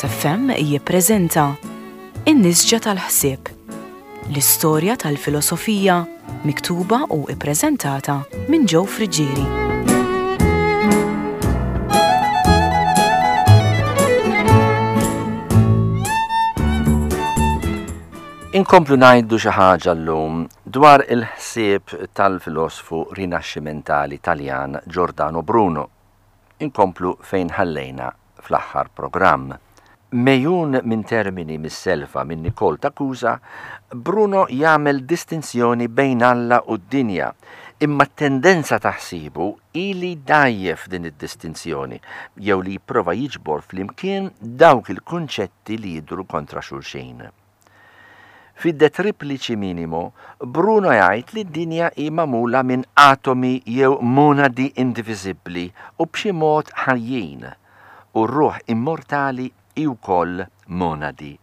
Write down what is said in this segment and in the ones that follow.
Onlus FM jippreżenta In-Nisġa tal-Ħsieb, l-istorja tal-filosofija miktuba u ppreżentata minn Joe Friggieri. Inkomplu ngħidu xi ħaġa llum dwar il-ħsieb tal-filosfu rinaxximentali Taljan Giordano Bruno. Inkomplu fejn ħallejna fl-aħħar programm. Megħjun minn termini missellfa minn Nicole ta' Cusa, Bruno jagħmel distinzjoni bejn Alla u d-dinja, imma t-tendenza ta' ħsiebu hi li jdgħajjef din id-distinzjoni jew li jipprova jiġbor flimkien dawk il-kunċetti li jidhru kontra xulxin. Fi De Triplici Minimo, Bruno jgħid li d-dinja hi magħmula minn atomi jew monadi indiviżibbli u b'xi mod ħajjin, u r-ruħ immortali hi wkoll monadi.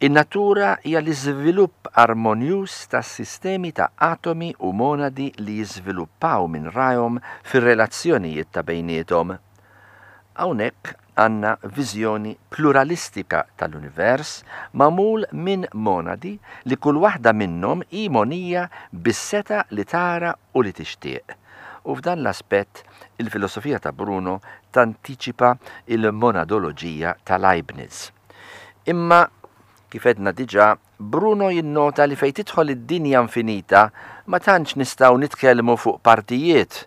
In-natura hija l-iżvilupp armonjuż ta' sistemi ta' atomi u monadi li jiżviluppaw minn rajhom fir-relazzjonijiet ta' bejniethom. Hawnhekk għandna viżjoni pluralistika tal-univers magħmul minn monadi li kull waħda minnhom hi mogħnija bis-setgħa li tara u li tixtieq. U f'dan l-aspett il-filosofija ta' Bruno tantiċipa l-monadoloġija ta' Leibniz. Imma, kif għedna diġà, Bruno jinnota li fejn tidħol id-dinja infinita ma tantx nistgħu nitkellmu fuq partijiet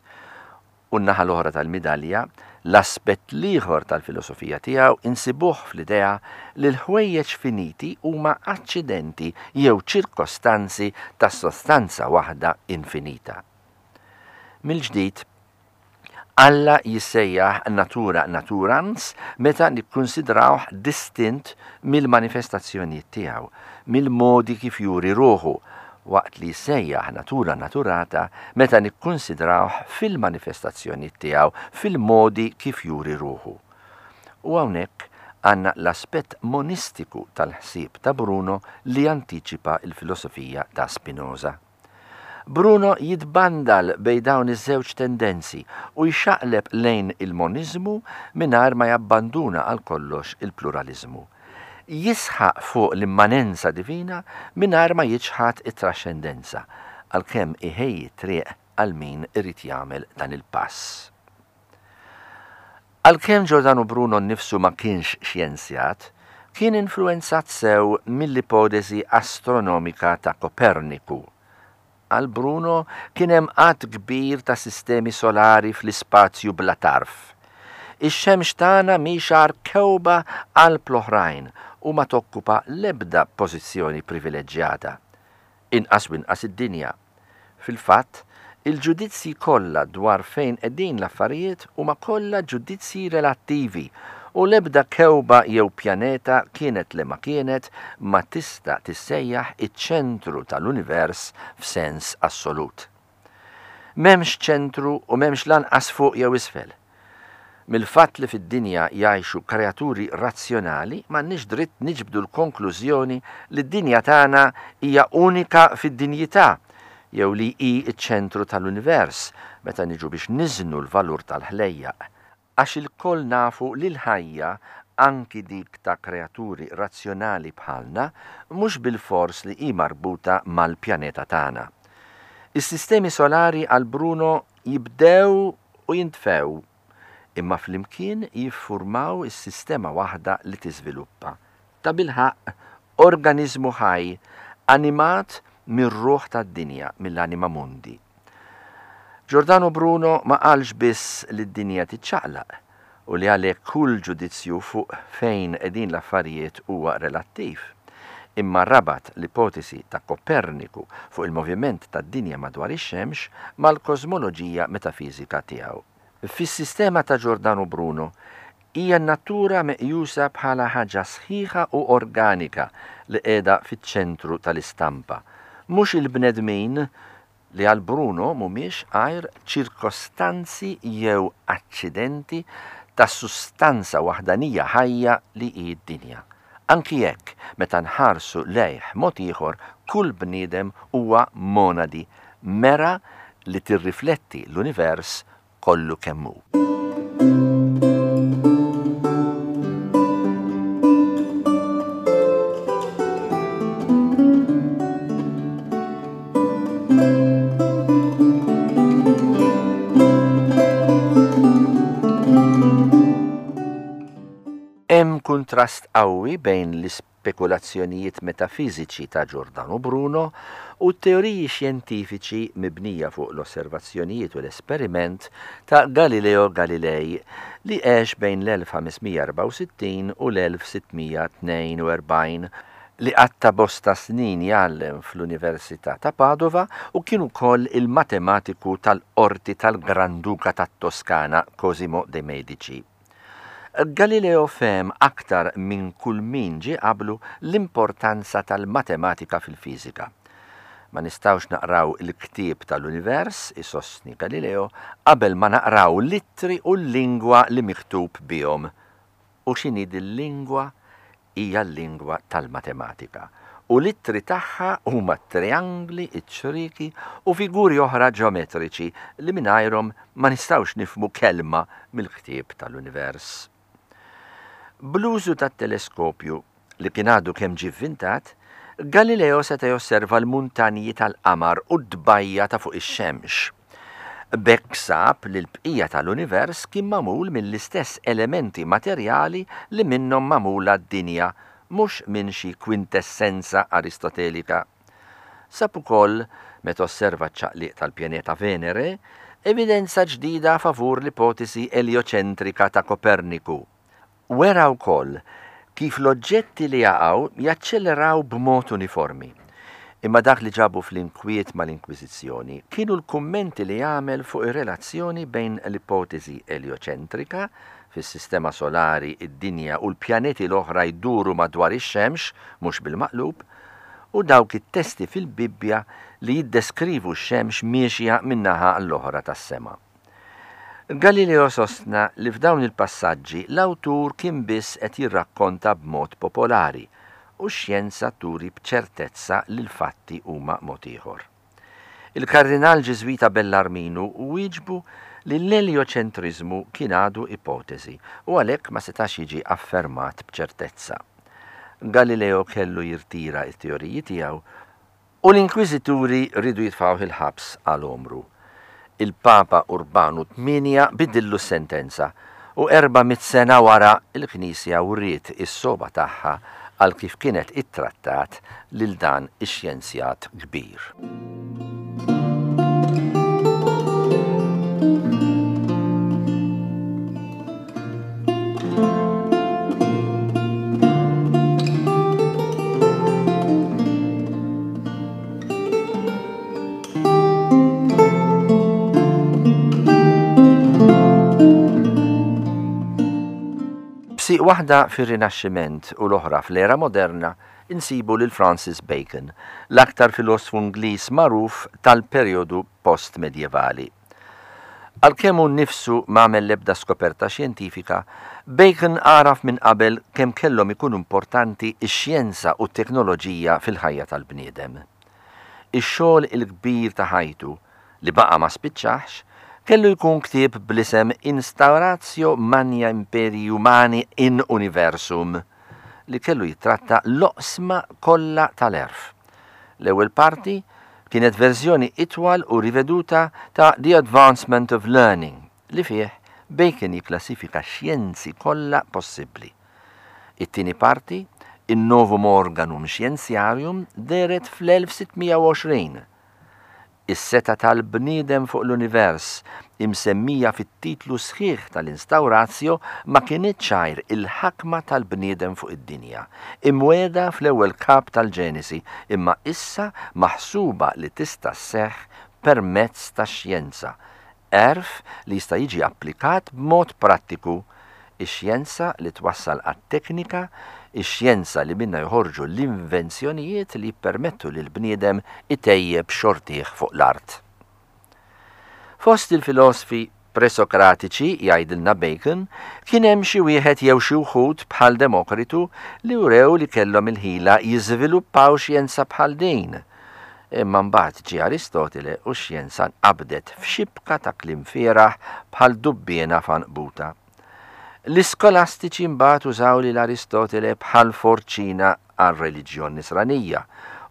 U n-naħa l-oħra tal-midalja, l-aspett l-ieħor tal-filosofija tiegħu insibuh fl-idea li l-ħwejjeġ finiti huma aċċidenti jew ċirkostanzi ta' sostanza waħda infinita. Mill-ġdid, Alla jissejjaħ natura naturans meta nikkunsidrawh distint mill-manifestazzjonijiet tiegħu, mill-modi kif juri ruħu, waqt li jissejjaħ natura naturata meta nikkunsidrawh fil-manifestazzjonijiet tiegħu, fil-modi kif juri ruħu. U hawnhekk għandna l-aspett monistiku tal-ħsieb ta' Bruno li jantiċipa l-filosofija ta' Spinoza. Bruno jitbandal bejn dawn iż-żewġ tendenzi u jxaqleb lejn il-moniżmu mingħajr ma jabbanduna għal kollox il-pluraliżmu. Jisħaq fuq l-immanenza divina mingħajr ma jiċħad it-traxxendenza, għalkemm iħejji t-triq għal min irid jagħmel dan il-pass. Għalkemm Giordano Bruno nnifsu ma kienx xjenzjat, kien influwenzat sew mill-ipoteżi astronomika ta' Koperniku. Għal Bruno kien hemm għadd kbir ta' sistemi solari fl-ispazju bla tarf. Ix-xemx tagħna mhix agħar kewba qalb l-oħrajn u ma tokkupa l-ebda pożizzjoni privileġġjata. Inqas u inqas id-dinja. Fil-fatt, il-ġudizzji kollha dwar fejn qegħdin l-affarijiet huma kollha ġudizzji relattivi u l-ebda kewba jew pjaneta kienet liema kienet ma tista' tissejjaħ iċ-ċentru tal-univers f'sens assolut. M'hemmx ċentru u m'hemmx lanqas fuq jew isfel. Mill-fatt li fid-dinja jgħixu kreaturi razzjonali m'għandniex dritt niġbdu l-konklużjoni li d-dinja tagħna hija unika fid-dinjità jew li hi ċ-ċentru tal-univers meta niġu biex niżnu l-valur tal-ħlejjaq Għax ilkoll nafu li l-ħajja, anki dik ta' kreaturi razzjonali bħalna, mhux bilfors li hi marbuta mal-pjaneta tagħna. Is-sistemi solari għal Bruno jibdew u jintfew, imma flimkien jiffurmaw is-sistema waħda li tiżviluppa. Tabilħaqq, organiżmu ħaj, animat mir-ruħ tad-dinja, mill-anima mundi. Giordano Bruno ma qalx biss li d-dinja tiċċaqlaq u li għalhekk kull ġudizzju fuq fejn qegħdin l-affarijiet huwa relattiv, imma rabat l-ipotesi ta' Koperniku fuq il-moviment tad-dinja madwar ix-xemx mal-kożmoloġija metafiżika tiegħu. Fis-sistema ta' Giordano Bruno, hija n-natura meqjusa bħala ħaġa sħiħa u organika li qiegħda fiċ-ċentru tal-istampa, mhux il-bnedmin li għal Bruno mhumiex għajr ċirkostanzi jew aċċidenti ta' sustanza waħdanija ħajja li hi d-dinja. Anki jekk, meta nħarsu lejh mod ieħor, kull bniedem huwa monadi, mera li tirrifletti l-univers kollu kemm hu. kuntrast qawwi bejn l-ispekulazzjonijiet metafiżiċi ta' Giordano Bruno u t-teoriji xjentifiċi mibnija fuq l-osservazzjonijiet u l-esperiment ta' Galileo Galilei li għex bejn l-1564 u l-1642 li qatta' bosta snin jgħallem fl-Università ta' Padova u kien ukoll il-matematiku tal-qorti tal-Granduka tat-Toskana Cosimo de' Medici. Galileo fehem aktar minn kull min ġie qablu l-importanza tal-matematika fil-fiżika. Ma nistgħux naqraw il-ktieb tal-univers, isostni Galileo, qabel ma naqraw l-ittri u l-lingwa li miktub bihom. U x'inhi dil-lingwa? Hija l-lingwa tal-matematika, u l-ittri tagħha huma t-triangli, iċ-ċrieki u figuri oħra ġeometriċi li mingħajrhom ma nistgħux nifhmu kelma mill-ktieb tal-univers. Bl-użu tat-teleskopju, li kien għadu kemm ġie vvintat, Galileo seta' josserva l-muntanji tal-qamar u t-tbajja ta' fuq ix-xemx. B'hekk sab li l-bqija tal-univers kien magħmul mill-istess elementi materjali li minnhom magħmula d-dinja, mhux minn xi kwintessenza Aristotelika. Sab ukoll, meta osserva ċ-ċaqliq tal-pjaneta Venere, evidenza ġdida favur l-ipotesi eljoċentrika ta' Koperniku. Wera wkoll kif l-oġġetti li jaqgħu jaċċelleraw b'mod uniformi. Imma dak li ġabu fl-inkwiet mal-Inkwiżizzjoni kienu l-kummenti li għamel fuq ir-relazzjoni bejn l-ipoteżi eljoċentrika, fis-sistema solari d-dinja u l-pjaneti l-oħra jduru madwar ix-xemx, mhux bil-maqlub, u dawk it-testi fil-Bibbja li jiddeskrivu x-xemx miexja minn naħa għall-oħra tas-sema. Galileo sostna li f'dawn il-passaġġi l-awtur kien biss qed jirrakkonta b'mod popolari u x-xjenza turi b'ċertezza li l-fatti huma mod ieħor. Il-Kardinal Ġiżwita Bellarminu wieġbu li l-eljoċentriżmu kien għadu ipoteżi u għalhekk ma setax jiġi affermat b'ċertezza. Galileo kellu jirtira t-teoriji tiegħu U l-inkwiżituri riedu jitfgħuh il-ħabs għal għomru. Il-Papa Urbanu Tmienja bidillu s-sentenza, u 400 sena wara l-Knisja wriet is-sogħba tagħha għal kif kienet ittrattat lil dan ix-xjenzjat kbir. B'sieq waħda fir-Rinaxximent u l-oħra fl-era moderna insibu lil Francis Bacon, l-aktar filosfu Ingliż magħruf tal-perjodu post-medjevali. Għalkemm hu nnifsu m'għamel l-ebda skoperta xjentifika, Bacon għaraf minn qabel kemm kellhom ikunu importanti x-xjenza u t-teknoloġija fil-ħajja tal-bniedem. Ix-xogħol il-kbir ta' ħajtu, li baqa' ma spiċċahx, kellu jkun ktieb bl-isem Instauratio Magna Imperii Humani in Universum, li kellu jittratta l-oqsma kollha tal-għerf. L-ewwel parti kienet verżjoni itwal u riveduta ta' The Advancement of Learning, li fih Bacon jikklassifika x-xjenzi kollha possibbli. It-tieni parti, In-Novum Organum Scientiarum, dehret fl-1620. Is-setgħa tal-bniedem fuq l-univers, imsemmija fit-titlu sħiħ tal-Instauratio, ma kinitx għajr il-ħakma tal-bniedem fuq id-dinja, imwiegħda fl-ewwel kap tal-Ġenesi, imma issa maħsuba li tista' sseħħ permezz tax-xjenza, Għerf li jista' jiġi applikat b'mod prattiku, ix-xjenza li twassal għat-teknika, ix-xjenza li minnha joħorġu l-invenzjonijiet li jippermettu lill-bniedem itejjeb xortih fuq l-art. Fost il-filosfi presokratiċi, jgħidilna Bacon, kien hemm xi wieħed jew xi wħud bħal Demokritu li wrew li kellhom il-ħila jiżviluppaw xjenza bħal din. Imma mbagħad ġie Aristotile u x-xjenza nqabdet f'xibka ta' kliem fieragħ bħal dubbiena f'għanqbuta. L-iskolastiċi mbagħad użaw lil Aristotile bħal forċina għar-reliġjon Nisranija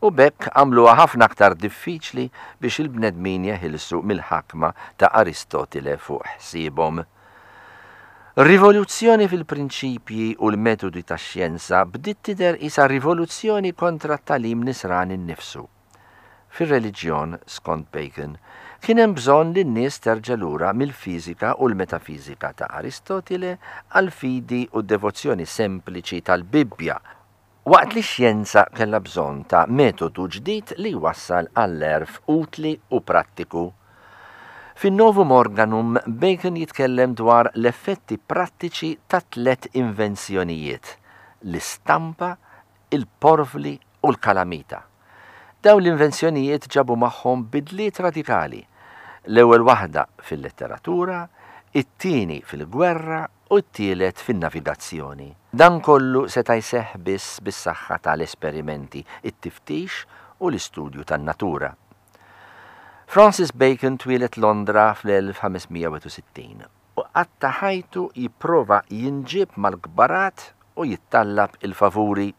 u b'hekk għamluha ħafna aktar diffiċli biex il-bnedmin jeħilsu mill-ħakma ta' Aristotile fuq ħsiebhom. Rivoluzzjoni fil-prinċipji u l-metodi tax-xjenza bdiet tidher qisha rivoluzzjoni kontra t-tagħlim Nisrani nnifsu. Fir-reliġjon, skont Bacon, kien hemm bżonn li n-nies terġa' lura mill-fiżika u l-metafiżika ta' Aristotile għall-fidi u d-devozzjoni sempliċi tal-Bibbja, waqt li x-xjenza kellha bżonn ta' metodu ġdid li jwassal għall-għerf utli u prattiku. Fin-Novum Organum, Bacon jitkellem dwar l-effetti prattiċi ta' tlett invenzjonijiet, l-istampa, il-porvli u l-kalamita. Dawn l-invenzjonijiet ġabu magħhom bidliet radikali, l-ewwel waħda fil-letteratura, it-tieni fil-gwerra u t-tielet fin-navigazzjoni. Dan kollu seta' jseħħ biss bis-saħħa ta' l-esperimenti, it-tiftix u l-istudju tan-natura. Francis Bacon twieled Londra fl-1561 u qatta' ħajtu jipprova jinġieb mal-kbarat u jittallab il-favuri.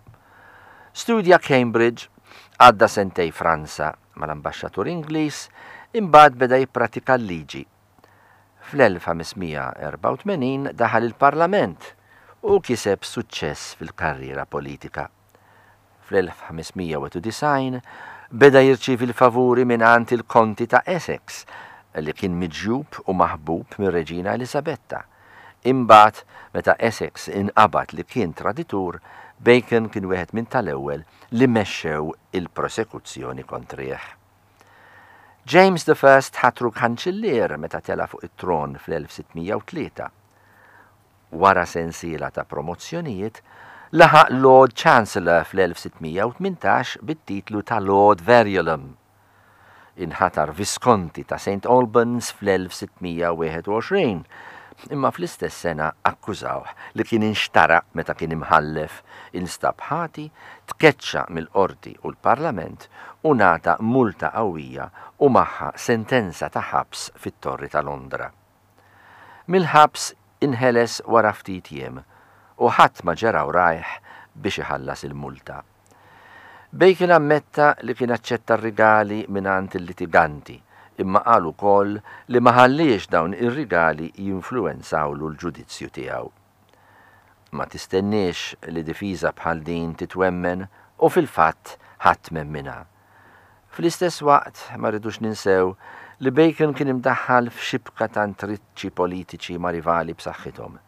Studja Cambridge, għadda sentej Franza mal-ambaxxatur Ingliż, imbagħad beda jippratika l-liġi. Fl-1584 daħal il-Parlament u kiseb suċċess fil-karriera politika. Fl-1591 beda jirċievi l-favuri mingħand il-Konti ta' Essex, li kien miġjub u maħbub mir-Reġina Eliżabetta. Imbagħad, meta Essex inqabad li kien traditur, Bacon kien wieħed minn tal-ewwel li mexxew il-prosekuzzjoni kontrih. James the First ħatru kanċillier meta tela' fuq it-tron fl-1603. Wara sensiela ta' promozzjonijiet, laħaq Lord Chancellor fl-1618 bit-titlu ta' Lord Verulam. Inħatar Viskonti ta' St Albans fl-1621, imma fl-istess sena akkużawh li kien inxtara meta kien imħallef, instab ħati, tkeċċa mill-Qorti u l-Parlament u ngħata multa qawwija u magħha sentenza ta' ħabs fit-Torri ta' Londra. Mill-ħabs inħeles wara ftit jiem u ħadd ma ġera wrajh biex iħallas il-multa. Bacon ammetta li kien aċċetta r-rigali mingħand il-litiganti, imma qal ukoll li ma ħalliex dawn ir-rigali jinfluwenzawlu l-ġudizzju tiegħu. Ma tistenniex li difiża bħal din titwemmen u fil-fatt ħadd m'emminha. Fl-istess waqt ma rridux ninsew li Bacon kien imdaħħal f'xibka ta' intriċċi politiċi ma' rivali b'saħħithom,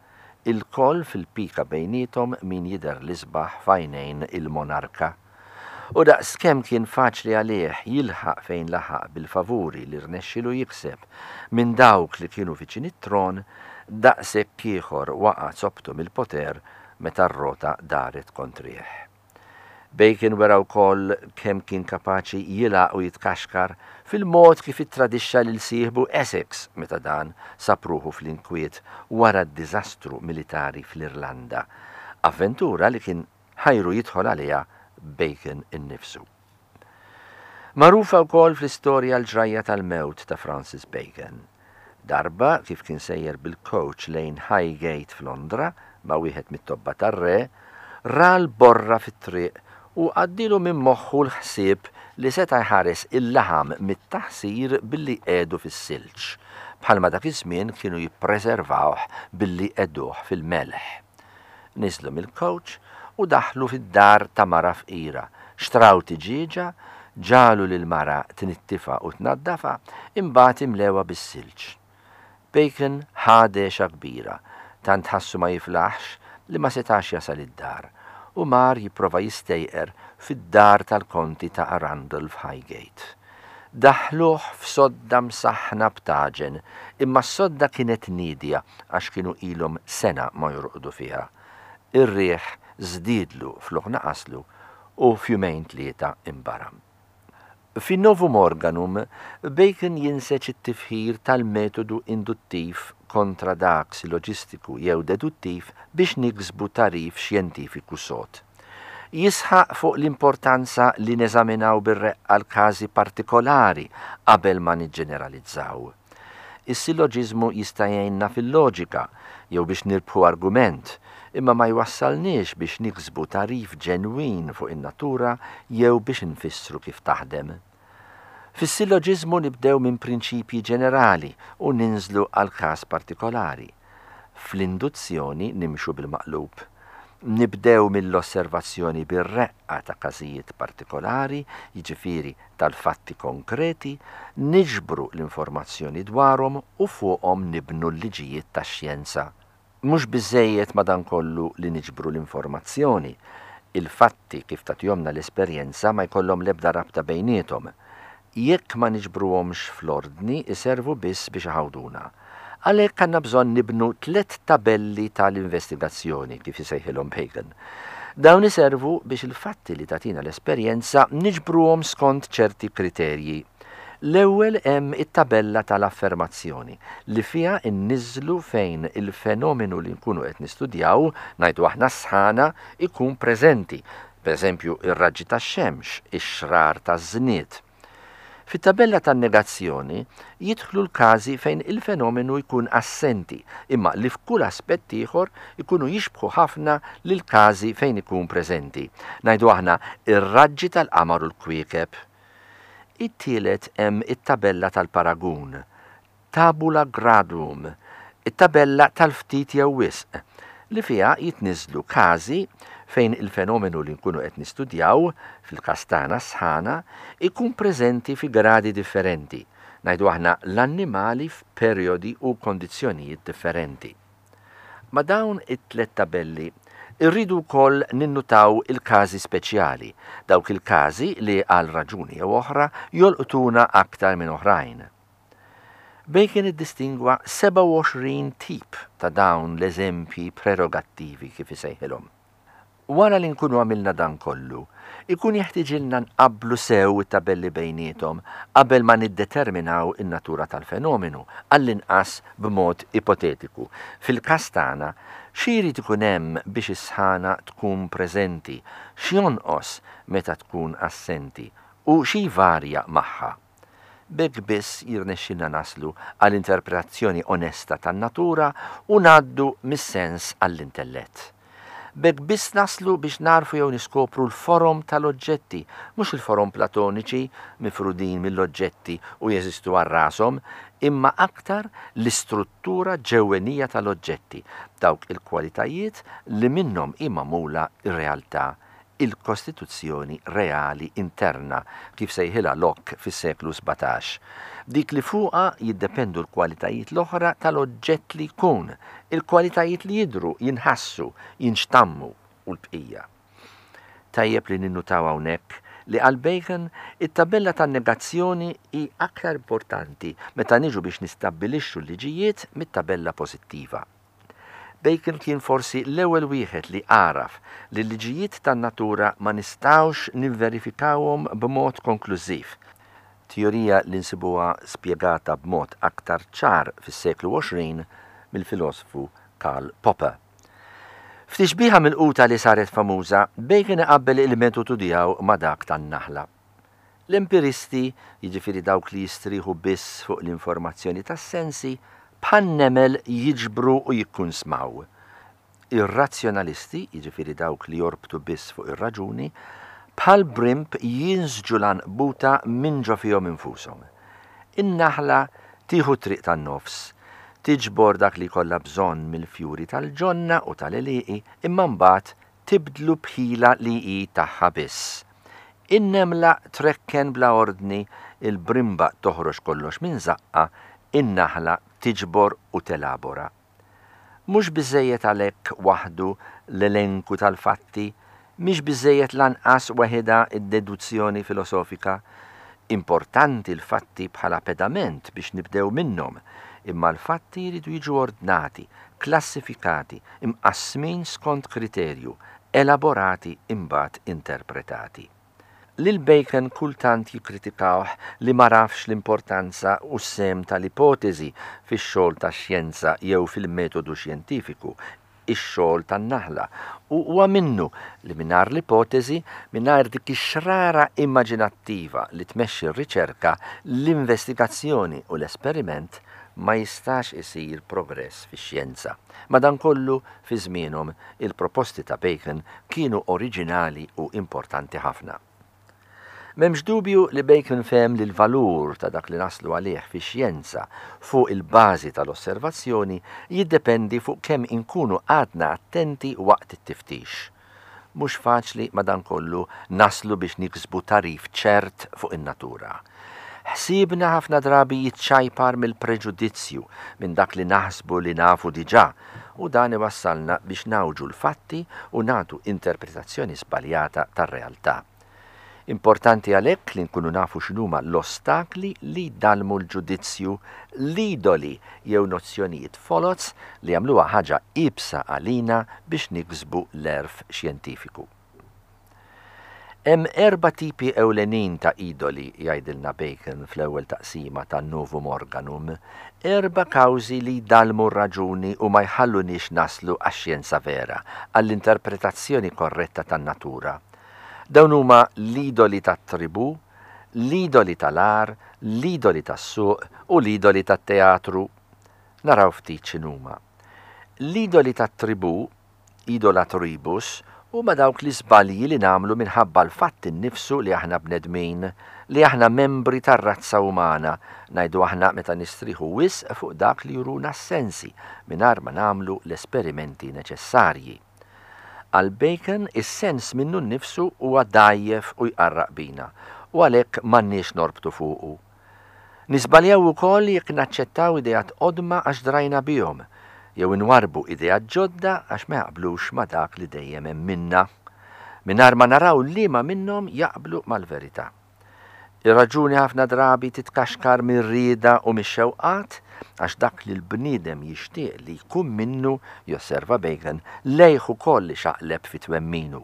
ilkoll fil-pika bejniethom min jidher l-isbaħ f'għajnejn il-monarka. U daqskemm kien faċli għalih jilħaq fejn laħaq bil-favuri li rnexxielu jikseb minn dawk li kienu viċin it-tron, daqshekk ieħor waqa' zoptu mill-poter meta r-rota daret kontrih. Bacon wera wkoll kemm kien kapaċi jilgħaq u jitkaxkar fil-mod kif ittradixxa lil sieħbu Essex meta dan sab ruħu fl-inkwiet wara d-diżastru militari fl-Irlanda, avventura li kien ħajru jidħol għaliha Bacon innifsu. Magħrufa wkoll fl-istorja l-ġrajja tal-mewt ta' Francis Bacon. Darba, kif kien sejjer bil-kowċ lejn Highgate f'Londra ma' wieħed mit-tobba tar-re, ra l-borra fit-triq u għaddielu minn moħħu l-ħsieb li seta' jħares il-laħam mit-taħsir billi jqiegħdu fis-silġ, bħalma dak iż-żmien kienu jippreservawh billi jqegħduh fil-melħ. Niżlu mill-kowċ u daħlu fid-dar ta' mara fqira, xtraw tiġieġa, ġagħlu lill-mara tnittifha u tnaddafha, imbagħad imlewha bis-silġ. Bacon ħa dehxa kbira, tant ħassu ma jiflaħx li ma setax jasal id-dar, u mar jipprova jistejqer fid-dar tal-Konti ta' Arundel f'Highgate. Daħħluh f'sodda msaħħna b'taġen, imma s-sodda kienet niedja għax kienu ilhom sena ma jorqdu fiha. Ir-riħ żdiedlu flok naqaslu u f'jumejn tlieta inbaram. Fin-Novum Organum, Bacon jinseġ it-tifħir tal-metodu induttiv kontra dak silloġistiku jew deduttiv biex niksbu tagħrif xjentifiku sod. Jisħaq fuq l-importanza li neżaminaw bir-reqqa l-każi partikolari qabel ma niġġeneralizzaw. Is-silloġiżmu jista' jgħinna fil-loġika jew biex nirbħu argument, imma ma jwassalniex biex niksbu tagħrif ġenwin fuq in-natura jew biex nfissru kif taħdem. Fis-silloġiżmu nibdew minn prinċipji ġenerali u ninżlu għal każ partikolari. Fl-induzzjoni nimxu bil-maqlub. Nibdew mill-osservazzjoni bir-reqqa ta' każijiet partikolari, jiġifieri tal-fatti konkreti, niġbru l-informazzjoni dwarhom u fuqhom nibnu l-liġijiet tax-xjenza. Mhux biżżejjed madankollu li niġbru l-informazzjoni. Il-fatti kif tagħtihomlna l-esperjenza ma jkollhom l-ebda rabta bejniethom. Jekk ma niġbruhomx fl-ordni iservu biss biex iħawduna. Għalhekk għandna bżonn nibnu tlett tabelli ta' l-investigazzjoni, kif isejħilhom Bacon. Dawn iservu biex il-fatti li tagħtina l-esperjenza niġbruhom skont ċerti kriterji. L-ewwel hemm it-tabella ta' l-affermazzjoni, li fiha nniżżlu fejn il-fenomenu li nkunu qed nistudjaw, ngħidu aħna s-sħana, ikun preżenti, pereżempju ir-raġġi tax-xemx, ix-xrar taż-żnied. Fit-tabella tan-negazzjoni jidħlu l-każi fejn il-fenomenu jkun assenti, imma li f'kull aspett ieħor ikunu jixbħu ħafna lill-każi fejn ikun preżenti. Ngħidu aħna, ir-raġġi tal-qamar u l-kwiekeb. It-tielet hemm it-tabella tal-paragun, tabula graduum, it-tabella tal-ftit jew wisq, li fiha jitniżżlu każi fejn il-fenomenu li nkunu qed nistudjaw, fil-każ tagħna s-sħana, ikun preżenti fi gradi differenti, ngħidu aħna l-annimali f'perjodi u kondizzjonijiet differenti. Ma' dawn it-tlett tabelli rridu wkoll ninnutaw il-każi speċjali, dawk il-każi li għal raġuni jew oħra jolqtuna aktar minn oħrajn. Bacon iddistingwa 27 tip ta' dawn l-eżempji prerogattivi kif isejħilhom. Wara li nkunu għamilna dan kollu, ikun jeħtiġilna nqabblu sew it-tabelli bejniethom qabel ma niddeterminaw in-natura tal-fenomenu, għall-inqas b'mod ipotetiku. Fil-każ tagħna, xi jrid ikun hemm biex is-sħana tkun preżenti, x'jonqos meta tkun assenti, u xi jvarja magħha? B'hekk biss jirnexxilna naslu għal interpretazzjoni onesta tan-natura u ngħaddu mis-sens għall-intellett. B'hekk biss naslu biex nagħrfu jew niskopru l-forom tal-oġġetti, mhux il-forom platoniċi mifrudin mill-oġġetti u jeżistu għal rashom, imma aktar l-istruttura ġewwenija tal-oġġetti, dawk il-kwalitajiet li minnhom hi magħmula r-realtà il-kostituzzjoni reali interna, kif sejħilha Locke fis-seklu 17, dik li fuqha jiddependu l-kwalitajiet l-oħra tal-oġġett li jkun, il-kwalitajiet li jidhru, jinħassu, jinxtammu u l-bqija. Tajjeb li ninnutaw hawnhekk li għal Bacon it-tabella tan-negazzjoni hi aktar importanti meta niġu biex nistabbilixxu l-liġijiet mit-tabella pożittiva. Bacon kien forsi l-ewwel wieħed li għaraf li l-liġijiet tan-natura ma nistgħux nivverifikawhom b'mod konklużiv, teorija li nsibuha spjegata b'mod aktar ċar fis-seklu 20 mill-filosfu Karl Popper. F'tixbiha milquta li saret famuża, Bacon iqabbel il-metodu tiegħu ma' dak tan-naħla. L-empiristi, jiġifieri dawk li jistrieħu biss fuq l-informazzjoni tas-sensi, bħan-nemel jiġbru u jikkunsmaw. Ir-razzjonalisti, jiġifieri dawk li jorbtu biss fuq ir-raġuni, bħal brimb jinsġu l-għanqbuta minn ġo fihom infushom. In-naħla tieħu t-triq tan-nofs, tiġbor dak li jkollha bżonn mill-fjuri tal-ġonna u tal-għelieqi imma mbagħad tibdlu b'ħila li hi tagħha biss. In-nemla trekken bla ordni, il-brimba toħroġ kollox minn żaqqha, in-naħla tiġbor u telabora. Mhux biżżejjed għalhekk waħdu l-elenku tal-fatti, mhix biżżejjed lanqas weħidha d-deduzzjoni filosofika. Importanti l-fatti bħala pedament biex nibdew minnhom, imma l-fatti jridu jiġu ordnati, klassifikati, imqassmin skont kriterju, elaborati imbagħad interpretati. Lil Bacon kultant jikkritikawh li m'għarafx l-importanza u s-sehem tal-ipoteżi fix-xogħol tax-xjenza jew fil-metodu xjentifiku, ix-xogħol tan-naħla, u huwa minnu li mingħajr l-ipoteżi, mingħajr dik ix-xrara immaġinattiva li tmexxi r-riċerka, l-investigazzjoni u l-esperiment, ma jistax isir progress fix-xjenza. Madankollu, fi żmienhom, il-proposti ta' Bacon kienu oriġinali u importanti ħafna. M'hemmx dubju li Bacon fehem li l-valur ta' dak li naslu għalih fix-xjenza fuq il-bażi tal-osservazzjoni jiddependi fuq kemm inkunu qgħadna attenti waqt it-tiftix. Mhux faċli, madankollu, naslu biex niksbu tagħrif ċert fuq in-natura. Ħsiebna ħafna drabi jiċċajpar mill-preġudizzju, minn dak li naħsbu li nafu diġà, u dan iwassalna biex ngħawġu l-fatti u nagħtu interpretazzjoni żbaljata tar-realtà. Importanti għalhekk li nkunu nafu x'inhuma l-ostakli li jdallmu l-ġudizzju, l-idoli jew nozzjonijiet foloz li jagħmluha ħaġa iebsa għalina biex niksbu l-għerf xjentifiku. Hemm erba' tipi ewlenin ta' idoli, jgħidilna Bacon fl-ewwel taqsima ta' Novum Organum, erba' kawżi li jdallmu r-raġuni u ma jħalluniex naslu għax-xjenza vera, għall-interpretazzjoni korretta tan-natura. Dawn huma l-idoli tat-tribù, l-idoli tal-għar, l-idoli tas-suq u l-idoli tat-teatru. Naraw ftit x'inhuma. L-idoli tat-tribù, idola tribus, huma dawk l-iżbalji li nagħmlu minħabba l-fatt innifsu li aħna bnedmin, li aħna membri tar-razza umana, ngħidu aħna meta nistrieħu wisq fuq dak li juruna s-sensi mingħajr ma nagħmlu l-esperimenti neċessarji. Għal Bacon, is-sens minnu nnifsu huwa dgħajjef u jqarraq bina, u għalhekk m'għandniex norbtu fuqu. Niżbaljaw ukoll jekk naċċettaw ideat qodma għax drajna bihom, jew inwarrbu ideat ġodda għax ma jaqblux ma' dak li dejjem emminna, mingħajr ma naraw liema minnhom jaqblu mal-verità. Ir-raġuni ħafna drabi titkaxkar mir-rieda u mix-xewqat, għax dak li l-bniedem jixtieq li jkun minnu, josserva Bacon, lejh ukoll ixaqleb fi twemminu.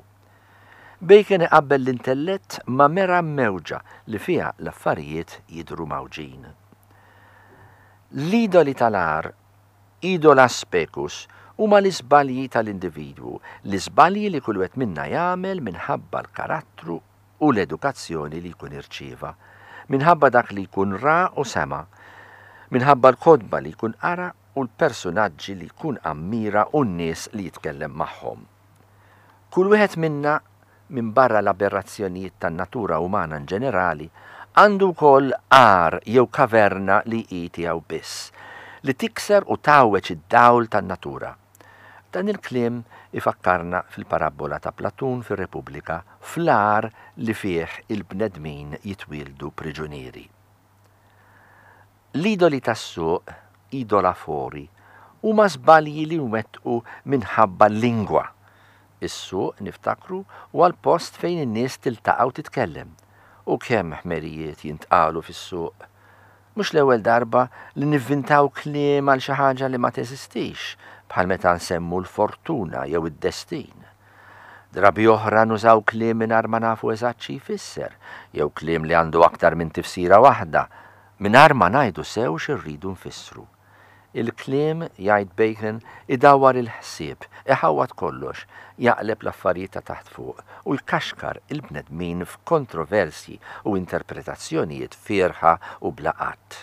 Bacon iqabbel l-intellett ma' mera mmewġa li fiha l-affarijiet jidhru mgħawġin. L-idoli tal-agħar, idola specus, huma l-iżbalji tal-individwu, l-iżbalji li kull wieħed minna jagħmel minħabba l-karattru u l-edukazzjoni li jkun irċieva, minħabba dak li jkun ra u sema', minħabba l-kotba li jkun qara u l-persunaġġi li jkun ammira u n-nies li jitkellem magħhom. Kull wieħed minna, minbarra l-aberrazzjonijiet tan-natura umana inġenerali, għandu wkoll għar jew kaverna li hi tiegħu biss, li tikser u tgħawweġ id-dawl tan-natura. Dan il-kliem ifakkarna fil-parabbola ta' Platun fir-Repubblika, fl-għar li fih il-bnedmin jitwieldu priġunieri. L-idoli tas-suq, idola fori, huma żbalji li nwettqu minħabba l-lingwa. Is-suq, niftakru, huwa l-post fejn in-nies tiltaqa' u titkellem. U kemm ħmerijiet jintqalu fis-suq! Mhux l-ewwel darba li nivvintaw kliem għal xi ħaġa li ma teżistix, bħal meta nsemmu l-fortuna jew id-destin. Drabi oħra nużaw kliem mingħajr ma nafu eżatt xi jfisser, jew kliem li għandu aktar minn tifsira waħda, mingħajr ma ngħidu sew xi rridu nfissru. Il-kliem, jgħid Bacon, idawwar il-ħsieb, iħawwad kollox, jaqleb l-affarijiet ta' taħt fuq u jkaxkar il-bnedmin f'kontroversji u interpretazzjonijiet fierħa u bla għadd.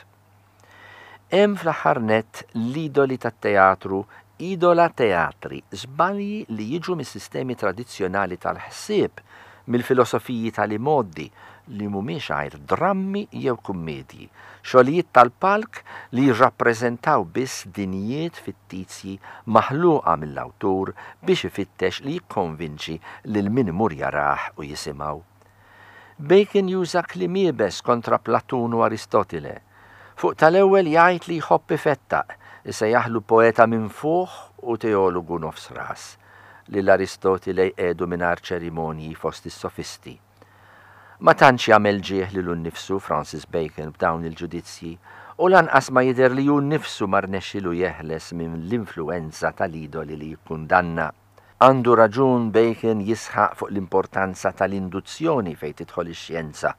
Hemm fl-aħħar nett l-idoli tat-teatru, idola theatri, żbalji li jiġu mis-sistemi tradizzjonali tal-ħsieb, mill-filosofiji tal-imgħoddi, li mhumiex għajr drammi jew kummiedji, xogħlijiet tal-palk li jirrappreżentaw biss dinjiet fittizji maħluqa mill-awtur biex ifittex li jikkonvinċi lil min imur jarah u jisimgħu. Bacon juża kliem iebes kontra Platun u Aristotile. Fuq tal-ewwel jgħid li jħobb ifettaq, isejjaħlu poeta minfuħ u teologu nofs ras. Lil Aristotile jqiegħdu mingħajr ċerimonji fost is-sofisti. Ma tantx jagħmel ġieħ lilu nnifsu Francis Bacon b'dawn il-ġudizzji, u lanqas ma jidher li hu nnifsu ma rnexxilu jeħles minn l-influwenza tal-idoli li jikkundanna. Għandu raġun Bacon jisħaq fuq l-importanza tal-induzzjoni fejn tidħol ix-xjenza,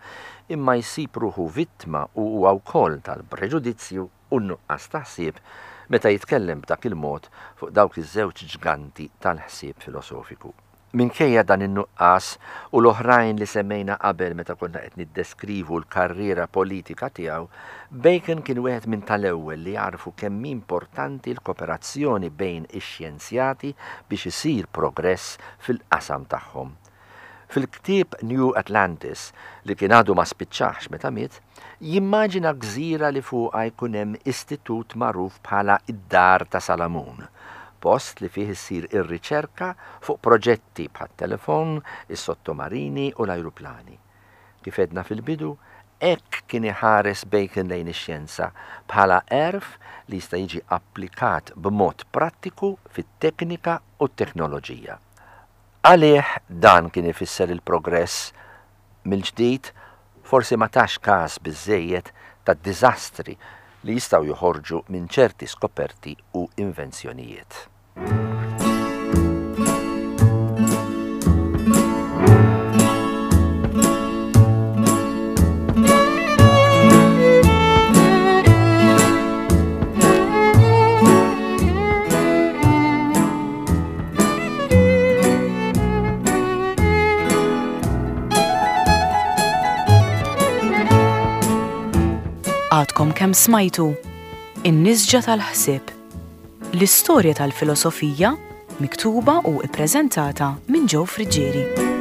imma jsib ruħu vittma hu huwa wkoll tal-preġudizzju u n-nuqqas ta' ħsieb meta jitkellem b'dak il-mod fuq dawk iż-żewġ ġganti tal-ħsieb filosofiku. Minkejja dan in-nuqqas u l-oħrajn li semmejna qabel meta konna qed niddeskrivu l-karriera politika tiegħu, Bacon kien wieħed minn tal-ewwel li għarfu kemm hi importanti l-koperazzjoni bejn ix-xjenzjati biex isir progress fil-qasam tagħhom. Fil-ktieb New Atlantis, li kien għadu ma spiċċahx meta miet, jimmaġina gżira li fuqha jkun hemm istitut magħruf bħala d-Dar ta' Salamun, post li fih issir ir-riċerka fuq proġetti bħat-telefon, is-sottomarini u l-ajruplani. Kif għedna fil-bidu, hekk kien iħares Bacon lejn ix-xjenza, bħala għerf li jista' jiġi applikat b'mod prattiku fit-teknika u t-teknoloġija. Għalih dan kien ifisser il-progress. Mill-ġdid, forsi ma tax kas biżżejjed tad-diżastri li jistgħu joħorġu minn ċerti skoperti u invenzjonijiet. Għadkom kemm smajtu In-Nisġa tal-Ħsieb, l-istorja tal-filosofija miktuba u ippreżentata minn Joe Friggieri.